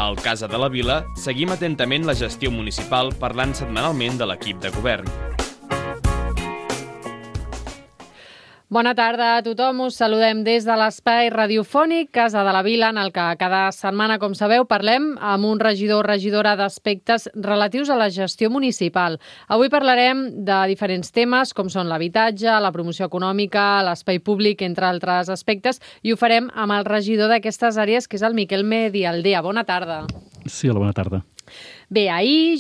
Al Casa de la Vila seguim atentament la gestió municipal parlant setmanalment de l'equip de govern. Bona tarda a tothom, us saludem des de l'espai radiofònic Casa de la Vila, en el que cada setmana, com sabeu, parlem amb un regidor o regidora d'aspectes relatius a la gestió municipal. Avui parlarem de diferents temes, com són l'habitatge, la promoció econòmica, l'espai públic, entre altres aspectes, i ho farem amb el regidor d'aquestes àrees, que és el Miquel Medialdea. Bona tarda. Sí, hola, bona tarda. Bé, ahir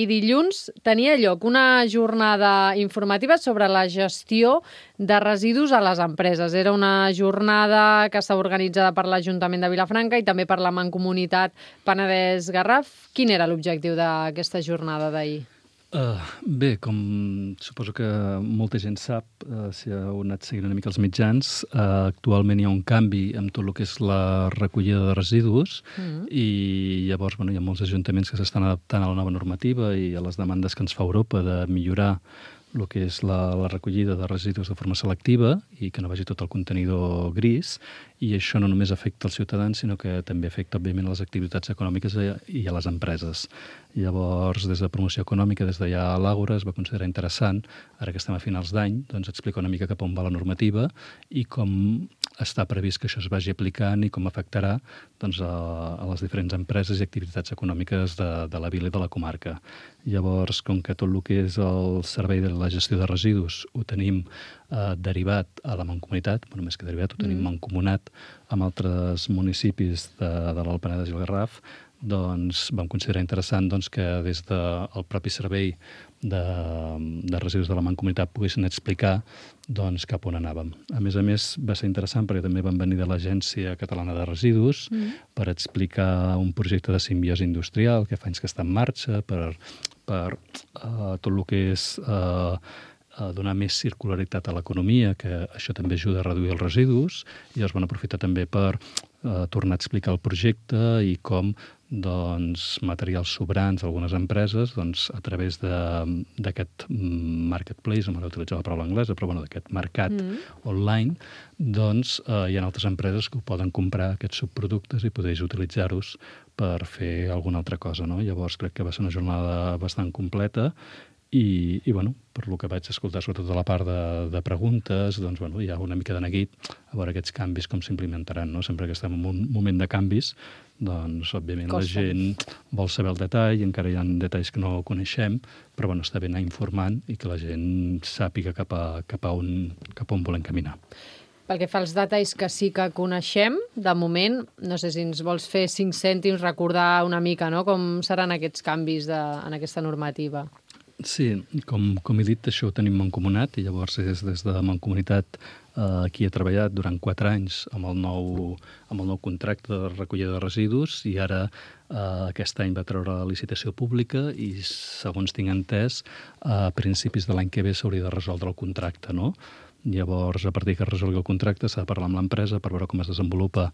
dilluns, tenia lloc una jornada informativa sobre la gestió de residus a les empreses. Era una jornada que estava organitzada per l'Ajuntament de Vilafranca i també per la Mancomunitat Penedès-Garraf. Quin era l'objectiu d'aquesta jornada d'ahir? Bé, com suposo que molta gent sap, si heu anat seguint una mica els mitjans, actualment hi ha un canvi amb tot el que és la recollida de residus i llavors hi ha molts ajuntaments que s'estan adaptant a la nova normativa i a les demandes que ens fa Europa de millorar el que és la recollida de residus de forma selectiva i que no vagi tot el contenidor gris, i això no només afecta els ciutadans, sinó que també afecta, òbviament, les activitats econòmiques i a les empreses. Llavors, des de promoció econòmica, des de ja a l'Àgora, es va considerar interessant, ara que estem a finals d'any, doncs explicar una mica cap on va la normativa i com està previst que això es vagi aplicant i com afectarà doncs, a les diferents empreses i activitats econòmiques de la vila i de la comarca. Llavors, com que tot el que és el servei de la gestió de residus ho tenim derivat a la Mancomunitat, bueno, més que derivat, ho tenim mancomunat amb altres municipis de l'Alt Penedès i el Garraf, doncs vam considerar interessant que des del propi servei de residus de la Mancomunitat poguessin explicar cap on anàvem. A més, va ser interessant perquè també van venir de l'Agència Catalana de Residus per explicar un projecte de simbiosi industrial que fa anys que està en marxa per tot el que és donar més circularitat a l'economia, que això també ajuda a reduir els residus, i llavors van aprofitar també per tornar a explicar el projecte i com materials sobrants d'algunes empreses, a través d'aquest marketplace, no m'agrada utilitzar la paraula anglesa, però d'aquest mercat online, hi ha altres empreses que ho poden comprar, aquests subproductes, i podeu utilitzar-los per fer alguna altra cosa. Llavors crec que va ser una jornada bastant completa i per lo que vaig escoltar, sobretot de la part de preguntes, hi ha una mica de neguit a veure aquests canvis com s'implementaran. Sempre que estem en un moment de canvis, òbviament la gent vol saber el detall, i encara hi ha detalls que no coneixem, però està bé anar informant i que la gent sàpiga cap a on volem caminar. Pel que fa als detalls que sí que coneixem, de moment, no sé si ens vols fer 5 cèntims, recordar una mica com seran aquests canvis en aquesta normativa. Sí, com he dit, això ho tenim mancomunat, i llavors és des de la Mancomunitat qui ha treballat durant 4 anys amb el nou contracte de recollida de residus, i ara aquest any va treure la licitació pública i, segons tinc entès, a principis de l'any que ve s'hauria de resoldre el contracte, no? Llavors, a partir que es resolgui el contracte, s'ha de parlar amb l'empresa per veure com es desenvolupa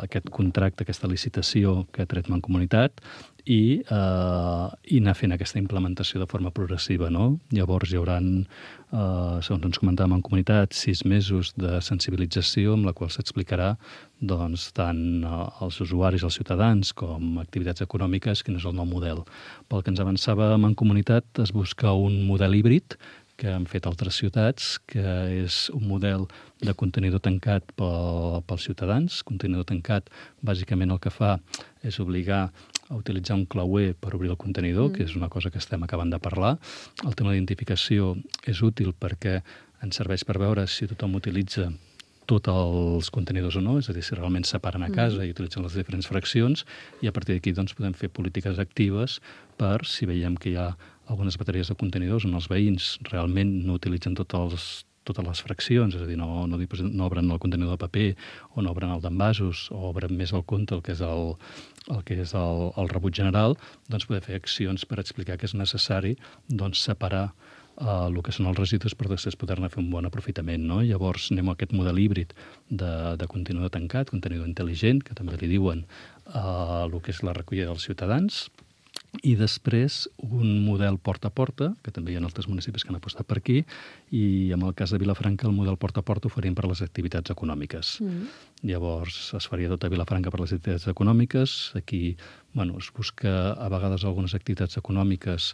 aquest contracte, aquesta licitació que ha tret Mancomunitat, i anar fent aquesta implementació de forma progressiva. Llavors hi haurà, segons ens comentava Mancomunitat, 6 mesos de sensibilització amb la qual s'explicarà tant als usuaris, als ciutadans, com activitats econòmiques, quin és el nou model. Pel que ens avançava Mancomunitat, es busca un model híbrid que han fet altres ciutats, que és un model de contenidor tancat pels ciutadans. Contenidor tancat, bàsicament el que fa és obligar a utilitzar un clauer per obrir el contenidor, que és una cosa que estem acabant de parlar. El tema d'identificació és útil perquè ens serveix per veure si tothom utilitza tots els contenidors o no, és a dir, si realment separen a casa i utilitzen les diferents fraccions, i a partir d'aquí podem fer polítiques actives per, si veiem que hi ha algunes bateries de contenidors on els veïns realment no utilitzen totes les fraccions, és a dir, no obren el contenidor de paper o no obren el d'envasos o obren més el compte, el que és el rebut general, poder fer accions per explicar que és necessari separar el que són els residus per després poder-ne fer un bon aprofitament. Llavors anem a aquest model híbrid de contenidor tancat, contenidor intel·ligent, que també li diuen el que és la recollida dels ciutadans, i després un model porta a porta, que també hi ha altres municipis que han apostat per aquí, i en el cas de Vilafranca el model porta a porta ho faríem per les activitats econòmiques. llavors es faria tot a Vilafranca per les activitats econòmiques. Aquí es busca a vegades algunes activitats econòmiques,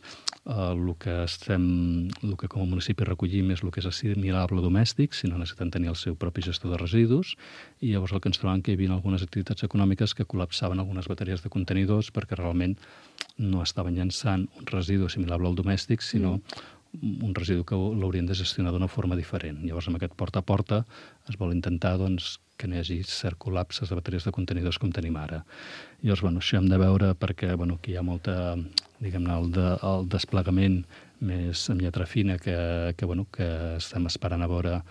el que com a municipi recollim és el que és assimilable domèstic, si no necessiten tenir el seu propi gestor de residus, i llavors el que ens trobem que hi havia algunes activitats econòmiques que col·lapsaven algunes bateries de contenidors perquè realment no estaven llançant un residu assimilable al domèstic, sinó un residu que l'haurien de gestionar d'una forma diferent. Llavors, amb aquest porta a porta es vol intentar que no hi hagi cert col·lapses de bateries de contenidors com tenim ara. Llavors, això hem de veure perquè aquí hi ha molta, diguem-ne, el desplegament més amb lletra fina que estem esperant a veure.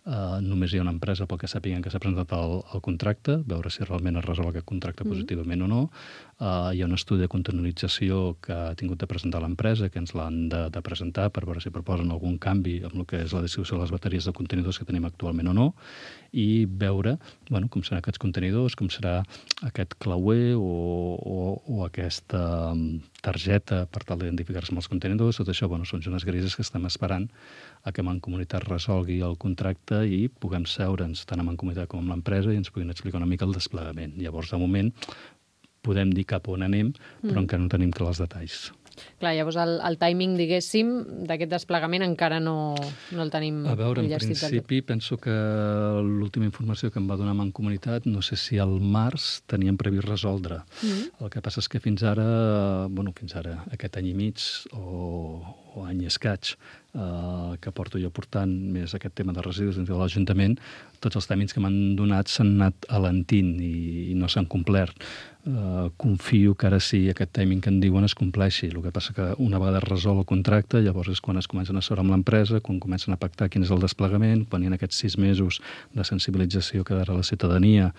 Només hi ha una empresa pel que sàpiguen que s'ha presentat el contracte, veure si realment es resol aquest contracte positivament o no. Hi ha un estudi de contenidització que ha tingut de presentar l'empresa, que ens l'han de presentar per veure si proposen algun canvi amb el que és la distribució de les bateries de contenidors que tenim actualment o no, i veure com seran aquests contenidors, com serà aquest clauer o aquesta targeta per tal d'identificar-se amb els contenidors. Tot això són zones grises que estem esperant a que Mancomunitat resolgui el contracte i puguem seure'ns tant a Mancomunitat com amb l'empresa i ens puguin explicar una mica el desplegament. Llavors, de moment, podem dir cap on anem, però encara no tenim clars els detalls. Clar, llavors el timing, diguéssim, d'aquest desplegament encara no el tenim enllestit. A veure, en principi, tot. penso que l'última informació que em va donar Mancomunitat, no sé si al març teníem previst resoldre. El que passa és que fins ara, aquest any i mig o any i escaig, que porto jo portant més aquest tema de residus dins de l'Ajuntament, tots els tèmins que m'han donat s'han anat alentint i no s'han complert. Confio que ara sí aquest timing que en diuen es compleixi. El que passa que una vegada es resol el contracte, llavors és quan es comencen a seure amb l'empresa, quan comencen a pactar quin és el desplegament, quan hi ha aquests 6 mesos de sensibilització que darrere la ciutadania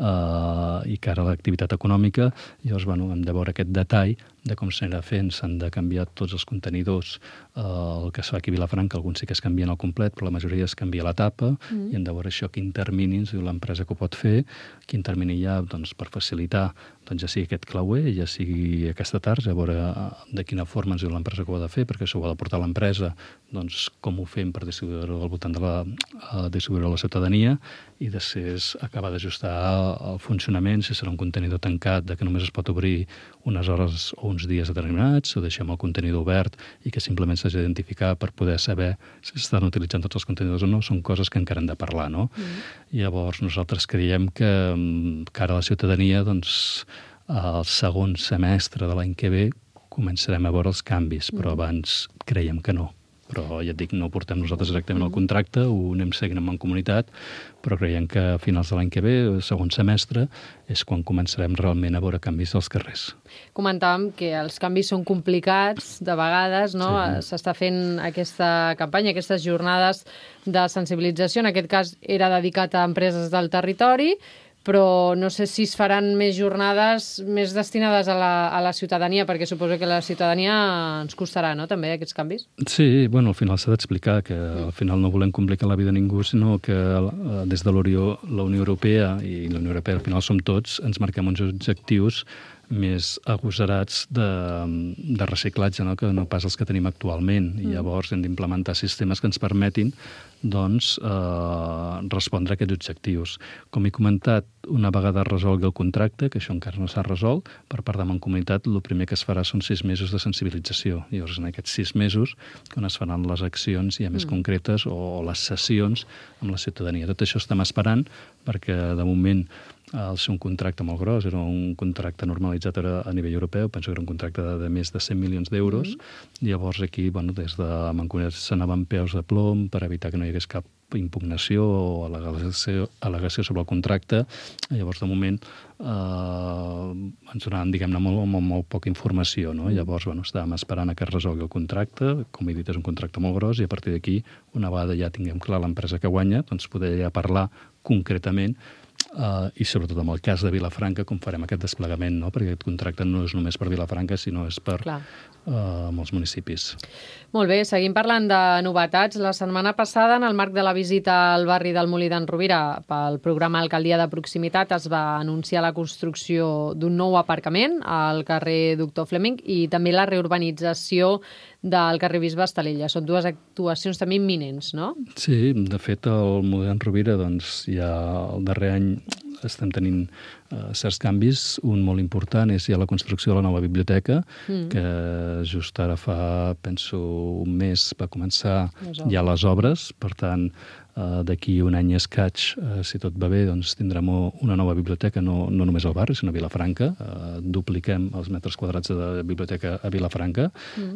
i cara a l'activitat econòmica, llavors hem de veure aquest detall de com s'anirà fent. S'han de canviar tots els contenidors. El que es fa aquí a Vilafranca, alguns sí que es canvien al complet, però la majoria es canvia la tapa, i hem de veure això, quin termini ens diu l'empresa que ho pot fer, quin termini hi ha per facilitar ja sigui aquest clauer, ja sigui aquesta tarja, a veure de quina forma ens diu l'empresa que ho ha de fer, perquè això ho ha de portar l'empresa, com ho fem per distribuir-ho al voltant de distribuir-ho a la ciutadania, i després acabar d'ajustar el funcionament, si serà un contenidor tancat, que només es pot obrir unes hores o uns dies determinats, o deixem el contenidor obert i que simplement s'hagi d'identificar per poder saber si s'estan utilitzant tots els contenidors o no. Són coses que encara hem de parlar, no? Llavors, nosaltres creiem que cara a la ciutadania, al segon semestre de l'any que ve començarem a veure els canvis, però abans creiem que no. Però ja et dic, no ho portem nosaltres directament al contracte, ho anem seguint amb Mancomunitat, però creiem que a finals de l'any que ve, el segon semestre, és quan començarem realment a veure canvis als carrers. Comentàvem que els canvis són complicats, de vegades, no? Sí. S'està fent aquesta campanya, aquestes jornades de sensibilització, en aquest cas era dedicat a empreses del territori, però no sé si es faran més jornades més destinades a la ciutadania, perquè suposo que la ciutadania ens costarà, no?, també, aquests canvis? Sí, al final s'ha d'explicar que al final no volem complicar la vida a ningú, sinó que des de la Unió Europea, i la Unió Europea al final som tots, ens marquem uns objectius més agosarats de reciclatge, no? Que no pas els que tenim actualment. I llavors hem d'implementar sistemes que ens permetin respondre a aquests objectius. Com he comentat, una vegada resolgui el contracte, que això encara no s'ha resolt, per part de Mancomunitat, el primer que es farà són 6 mesos de sensibilització. Llavors, en aquests 6 mesos, quan es faran les accions ja més concretes o les sessions amb la ciutadania. Tot això estem esperant, perquè de moment al ser un contracte molt gros, era un contracte normalitzat a nivell europeu, penso que era un contracte de més de 100 milions d'euros. Llavors aquí, des de Mancomunitat s'anaven peus de plom per evitar que no hi hagués cap impugnació o al·legació sobre el contracte. Llavors, de moment, ens donaven, diguem-ne, molt poca informació, no? Llavors, estàvem esperant a que es resolgui el contracte. Com he dit, és un contracte molt gros i a partir d'aquí, una vegada ja tinguem clar l'empresa que guanya, poder ja parlar concretament i sobretot en el cas de Vilafranca com farem aquest desplegament, no? Perquè aquest contracte no és només per Vilafranca, sinó és per molts municipis. Molt bé, seguim parlant de novetats. La setmana passada, en el marc de la visita al barri del Molí d'en Rovira pel programa Alcaldia de Proximitat, es va anunciar la construcció d'un nou aparcament al carrer Doctor Fleming i també la reurbanització del carrer Bisbe Estalella. Són dues actuacions també imminents, no? Sí, de fet, el Molí d'en Rovira ja el darrer any estem tenint certs canvis. Un molt important és ja la construcció de la nova biblioteca, que just ara fa, penso, un mes va començar ja les obres. Per tant, d'aquí un any i escaig, si tot va bé, doncs tindrem una nova biblioteca, no només al barri, sinó a Vilafranca. Dupliquem els metres quadrats de biblioteca a Vilafranca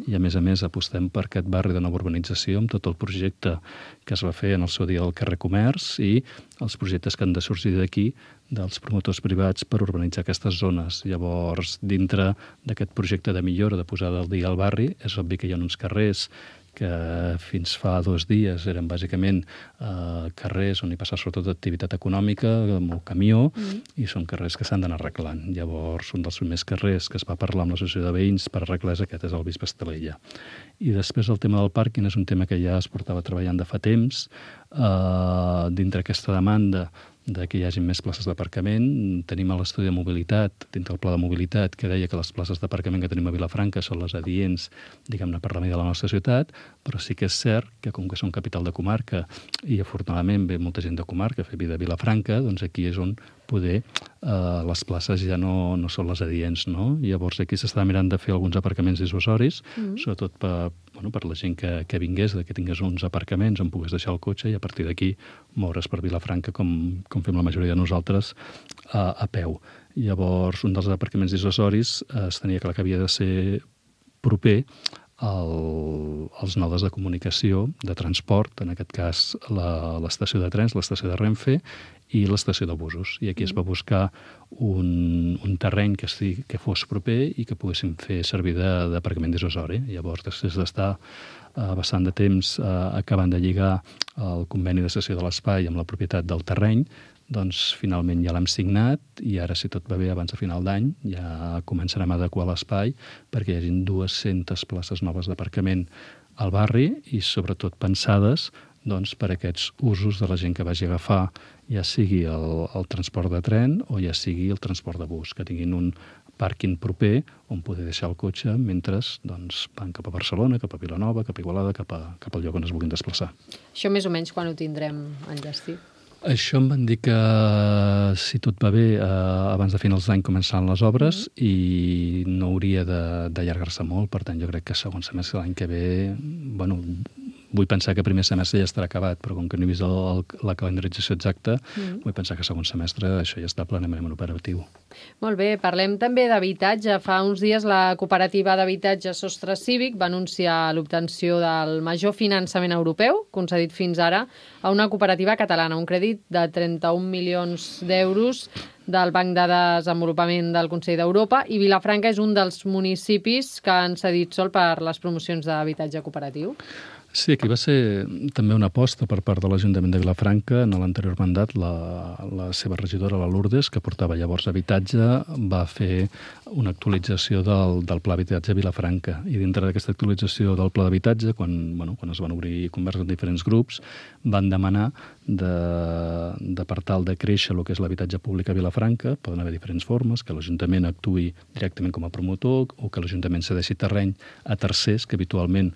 i, a més, apostem per aquest barri de nova urbanització amb tot el projecte que es va fer en el seu dia al carrer Comerç i els projectes que han de sorgir d'aquí dels promotors privats per urbanitzar aquestes zones. Llavors, dintre d'aquest projecte de millora, de posada al dia al barri, és obvi que hi ha uns carrers que fins fa 2 dies eren bàsicament carrers on hi passa sobretot activitat econòmica, amb el camió, i són carrers que s'han d'anar arreglant. Llavors, un dels primers carrers que es va parlar amb l'associació de veïns per arreglar és aquest, és el Bisbe Estalella. I després el tema del pàrquing és un tema que ja es portava treballant de fa temps. Dintre aquesta demanda de que hi hagi més places d'aparcament. Tenim a l'estudi de mobilitat, dintre del pla de mobilitat, que deia que les places d'aparcament que tenim a Vilafranca són les adients, diguem-ne, per la mida de la nostra ciutat, però sí que és cert que, com que som capital de comarca i afortunadament ve molta gent de comarca a fer vida a Vilafranca, doncs aquí és on poder les places ja no són les adients, no? Llavors aquí s'està mirant de fer alguns aparcaments dissuasoris, sobretot per la gent que vingués, que tingués uns aparcaments on pogués deixar el cotxe i a partir d'aquí moure's per Vilafranca com fem la majoria de nosaltres a peu. Llavors, un dels aparcaments dissuasoris es tenia clar que havia de ser proper als nodes de comunicació, de transport, en aquest cas l'estació de trens, l'estació de Renfe i l'estació de busos. I aquí es va buscar un terreny que fos proper i que poguéssim fer servir d'aparcament dissuasori. Llavors, després d'estar bastant de temps acabant de lligar el conveni de cessió de l'espai amb la propietat del terreny, doncs finalment ja l'hem signat i ara, si tot va bé, abans de final d'any ja començarem a adequar l'espai perquè hi hagi 200 places noves d'aparcament al barri i sobretot pensades per aquests usos de la gent que vagi a agafar, ja sigui el transport de tren o ja sigui el transport de bus, que tinguin un pàrquing proper on poder deixar el cotxe mentre van cap a Barcelona, cap a Vilanova, cap a Igualada, cap al lloc on es vulguin desplaçar. Això més o menys quan ho tindrem enllestit? Això em van dir que, si tot va bé, abans de finals d'any començaran les obres i no hauria d'allargar-se molt. Per tant, jo crec que segon semestre l'any que ve, vull pensar que primer semestre ja estarà acabat, però com que no he vist la calendarització exacta, vull pensar que segon semestre això ja està plenament operatiu. Molt bé, parlem també d'habitatge. Fa uns dies la cooperativa d'habitatge Sostre Cívic va anunciar l'obtenció del major finançament europeu, concedit fins ara a una cooperativa catalana, un crèdit de 31 milions d'euros del Banc de Desenvolupament del Consell d'Europa, i Vilafranca és un dels municipis que han cedit sol per les promocions d'habitatge cooperatiu. Sí, aquí va ser també una aposta per part de l'Ajuntament de Vilafranca. En l'anterior mandat, la seva regidora, la Lourdes, que portava llavors habitatge, va fer una actualització del Pla d'Habitatge a Vilafranca. I dintre d'aquesta actualització del Pla d'Habitatge, quan es van obrir converses en diferents grups, van demanar per tal de créixer el que és l'habitatge públic a Vilafranca. Poden haver diferents formes, que l'Ajuntament actuï directament com a promotor o que l'Ajuntament cedeixi terreny a tercers, que habitualment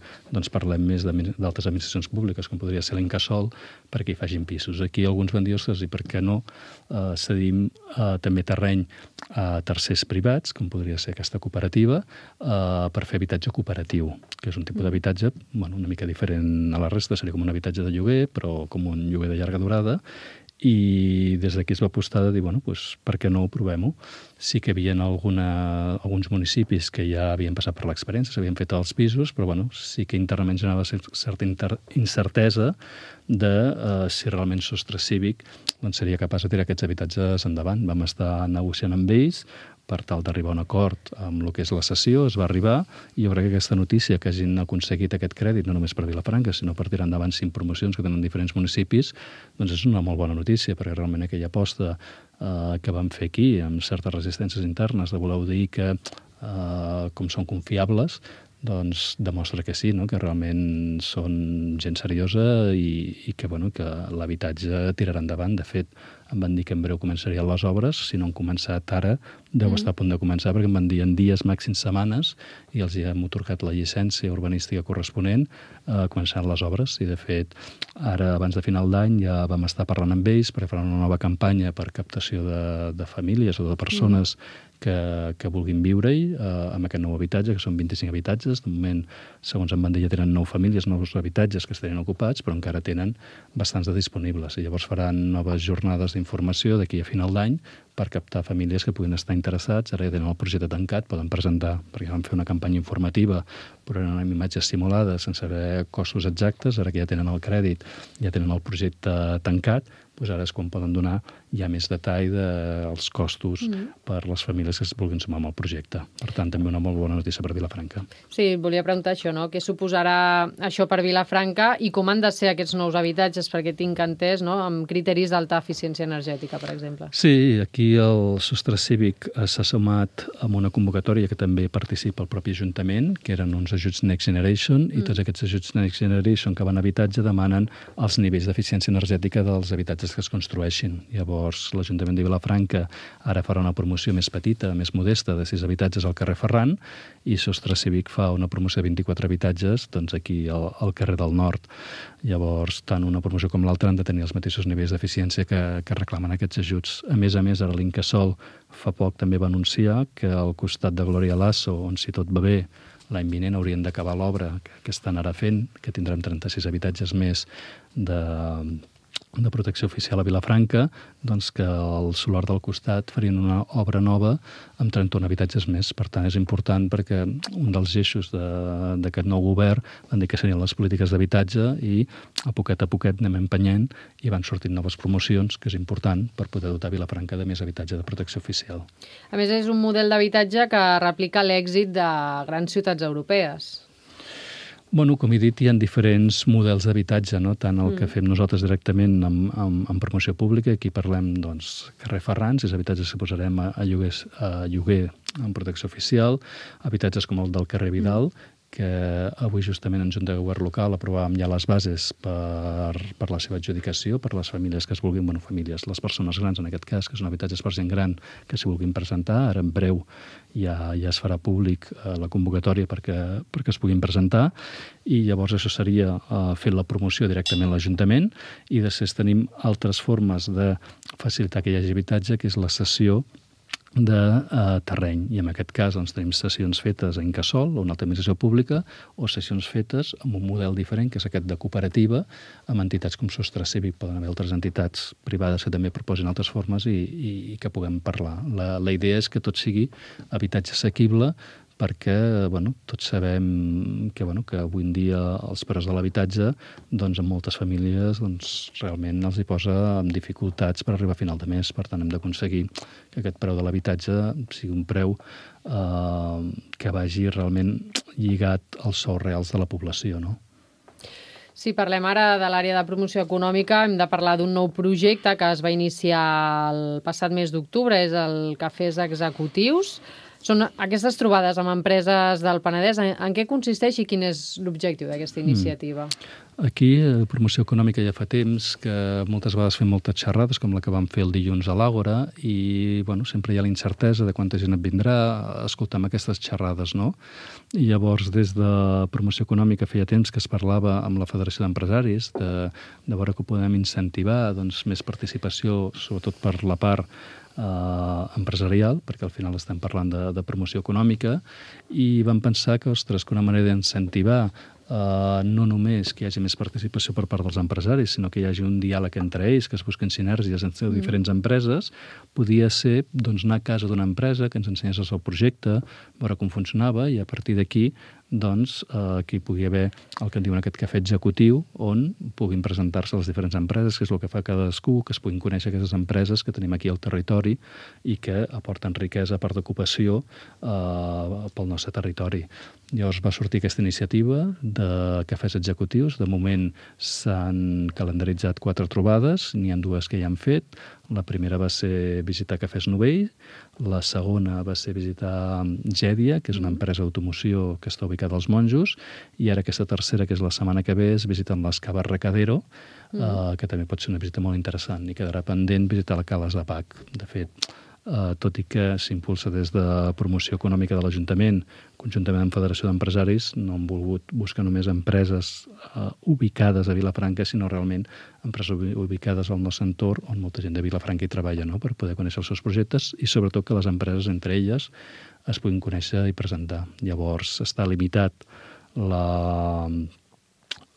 parlem més d'altres administracions públiques, com podria ser l'Incasòl, perquè hi facin pisos. Aquí alguns van dir, ostres, i per què no cedim també terreny a tercers privats, com podria ser aquesta cooperativa, per fer habitatge cooperatiu, que és un tipus d'habitatge una mica diferent a la resta, seria com un habitatge de lloguer, però com un lloguer de llarga durada, i des d'aquí es va apostar de dir, per què no ho provem-ho? Sí que hi havia alguns municipis que ja havien passat per l'experiència, s'havien fet els pisos, però sí que internament generava certa incertesa de si realment Sostre Cívic seria capaç de tirar aquests habitatges endavant. Vam estar negociant amb ells per tal d'arribar a un acord amb el que és la cessió, es va arribar, i jo crec que aquesta notícia que hagin aconseguit aquest crèdit, no només per Vilafranca, sinó per tirar endavant 5 promocions que tenen diferents municipis, és una molt bona notícia, perquè realment aquella aposta que vam fer aquí, amb certes resistències internes, de voler dir que, com són confiables, demostra que sí, que realment són gent seriosa i que l'habitatge tirarà endavant. De fet, em van dir que en breu començarien les obres. Si no han començat ara, deu estar a punt de començar, perquè em van dir en dies, màxims setmanes, i els hem atorgat la llicència urbanística corresponent a començar les obres. I, de fet, ara, abans de final d'any, ja vam estar parlant amb ells per fer una nova campanya per captació de famílies o de persones que vulguin viure-hi amb aquest nou habitatge, que són 25 habitatges. De moment, segons em van dir, ja tenen 9 famílies, 9 habitatges que estarien ocupats, però encara tenen bastants de disponibles. I llavors faran noves jornades d'informació d'aquí a final d'any per captar famílies que puguin estar interessats. Ara ja tenen el projecte tancat, poden presentar, perquè van fer una campanya informativa, però eren amb imatges simulades, sense saber costos exactes. Ara que ja tenen el crèdit, ja tenen el projecte tancat, doncs ara és quan poden donar ja més detall dels costos per les famílies que es vulguin sumar amb el projecte. Per tant, també una molt bona notícia per Vilafranca. Sí, volia preguntar això, no? Què suposarà això per Vilafranca i com han de ser aquests nous habitatges, perquè tinc entès, no?, amb criteris d'alta eficiència energètica, per exemple. Sí, aquí el Sostre Cívic s'ha sumat amb una convocatòria que també participa el propi Ajuntament, que eren uns ajuts Next Generation, i tots aquests ajuts Next Generation que van a habitatge demanen els nivells d'eficiència energètica dels habitatges que es construeixin. Llavors, l'Ajuntament de Vilafranca ara farà una promoció més petita, més modesta, de 6 habitatges al carrer Ferran, i Sostre Cívic fa una promoció de 24 habitatges doncs aquí al carrer del Nord. Llavors, tant una promoció com l'altra han de tenir els mateixos nivells d'eficiència que reclamen aquests ajuts. A més, ara l'Incasòl fa poc també va anunciar que al costat de Gloria Lasso, on si tot va bé, l'any vinent haurien d'acabar l'obra que estan ara fent, que tindrem 36 habitatges més de protecció oficial a Vilafranca, doncs que al solar del costat farien una obra nova amb 31 habitatges més. Per tant, és important perquè un dels eixos d'aquest nou govern van dir que serien les polítiques d'habitatge i a poquet anem empenyent i van sortint noves promocions, que és important per poder dotar Vilafranca de més habitatge de protecció oficial. A més, és un model d'habitatge que replica l'èxit de grans ciutats europees. Bueno, com he dit, hi ha diferents models d'habitatge, no? Tant el que fem nosaltres directament en promoció pública, aquí parlem, doncs, carrer Ferran, 6 habitatges que posarem a lloguer en protecció oficial, habitatges com el del carrer Vidal, que avui justament en Junta de Govern Local aprovàvem ja les bases per la seva adjudicació, per les famílies que es vulguin, famílies, les persones grans en aquest cas, que són habitatges per gent gran, que s'hi vulguin presentar. Ara en breu ja es farà públic la convocatòria perquè es puguin presentar, i llavors això seria fer la promoció directament a l'Ajuntament, i després tenim altres formes de facilitar que hi hagi habitatge, que és la cessió de terreny, i en aquest cas doncs, tenim cessions fetes a Incasòl o una altra administració pública, o cessions fetes amb un model diferent, que és aquest de cooperativa, amb entitats com Sostre Cívic. Poden haver altres entitats privades que també proposin altres formes i que puguem parlar. La idea és que tot sigui habitatge assequible, perquè tots sabem que avui en dia els preus de l'habitatge en moltes famílies realment els hi posa amb dificultats per arribar a final de mes. Per tant, hem d'aconseguir que aquest preu de l'habitatge sigui un preu que vagi realment lligat als sous reals de la població, no? Si parlem ara de l'àrea de promoció econòmica, hem de parlar d'un nou projecte que es va iniciar el passat mes d'octubre, és el Cafès Executius. Són aquestes trobades amb empreses del Penedès. En què consisteix i quin és l'objectiu d'aquesta iniciativa? Aquí, a promoció econòmica ja fa temps que moltes vegades fem moltes xerrades, com la que vam fer el dilluns a l'Àgora, i sempre hi ha la incertesa de quanta gent et vindrà a escoltar aquestes xerrades, no? I llavors, des de promoció econòmica feia temps que es parlava amb la Federació d'Empresaris de veure que podem incentivar més participació, sobretot per la part empresarial, perquè al final estem parlant de promoció econòmica, i vam pensar que una manera d'incentivar no només que hi hagi més participació per part dels empresaris, sinó que hi hagi un diàleg entre ells, que es busquen sinergies entre diferents empreses, podia ser anar a casa d'una empresa que ens ensenyés el seu projecte, veure com funcionava, i a partir d'aquí aquí pugui haver el que en diuen aquest cafè executiu, on puguin presentar-se les diferents empreses, que és el que fa cadascú, que es puguin conèixer aquestes empreses que tenim aquí al territori i que aporten riquesa, a part d'ocupació, pel nostre territori. Llavors va sortir aquesta iniciativa de cafès executius. De moment s'han calendaritzat 4 trobades, n'hi ha 2 que ja han fet. La primera va ser visitar Cafès Novell, la segona va ser visitar Gèdia, que és una empresa d'automoció que està ubicada als Monjos, i ara aquesta tercera, que és la setmana que ve, és visitant les Caves Recadero, que també pot ser una visita molt interessant, i quedarà pendent visitar la Cales de Pac. De fet, tot i que s'impulsa des de promoció econòmica de l'Ajuntament, conjuntament amb Federació d'Empresaris, no han volgut buscar només empreses ubicades a Vilafranca, sinó realment empreses ubicades al nostre entorn, on molta gent de Vilafranca hi treballa, no?, per poder conèixer els seus projectes i sobretot que les empreses entre elles es puguin conèixer i presentar. Llavors està limitat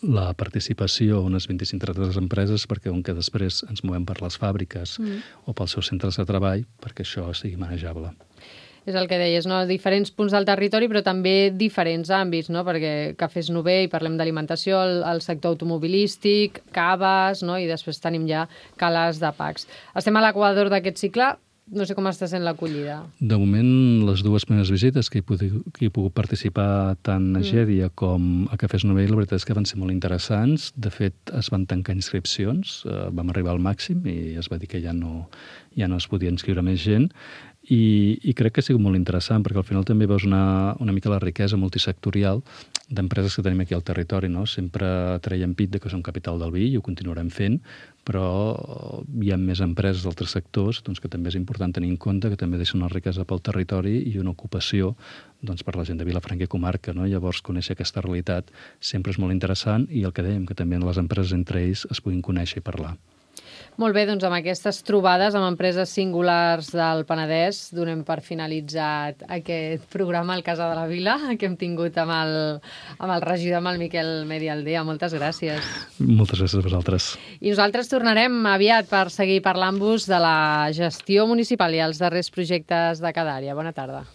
la participació a unes 25-30 empreses perquè com que després ens movem per les fàbriques o pels seus centres de treball perquè això sigui manejable. És el que deies, no? Diferents punts del territori, però també diferents àmbits, no? Perquè Cafès Novell, parlem d'alimentació, el sector automobilístic, caves, no? I després tenim ja Cales de Pacs. Estem a l'equador d'aquest cicle. No sé com està sent l'acollida. De moment, les dues primeres visites que he pogut participar tant a Gèdia com a Cafès Novell, la veritat és que van ser molt interessants. De fet, es van tancar inscripcions, vam arribar al màxim i es va dir que ja no es podia inscriure més gent. I crec que ha sigut molt interessant perquè al final també veus una mica la riquesa multisectorial d'empreses que tenim aquí al territori, no? Sempre traiem pit de que som capital del vi i ho continuarem fent, però hi ha més empreses d'altres sectors doncs, que també és important tenir en compte que també deixen una riquesa pel territori i una ocupació doncs, per la gent de Vilafranca i comarca, no? Llavors, conèixer aquesta realitat sempre és molt interessant i el que dèiem, que també les empreses entre ells es puguin conèixer i parlar. Molt bé, doncs amb aquestes trobades amb empreses singulars del Penedès donem per finalitzat aquest programa al Casa de la Vila que hem tingut amb el regidor, amb el Miquel Medialdea. Moltes gràcies. Moltes gràcies a vosaltres. I nosaltres tornarem aviat per seguir parlant-vos de la gestió municipal i els darrers projectes de cada àrea. Bona tarda.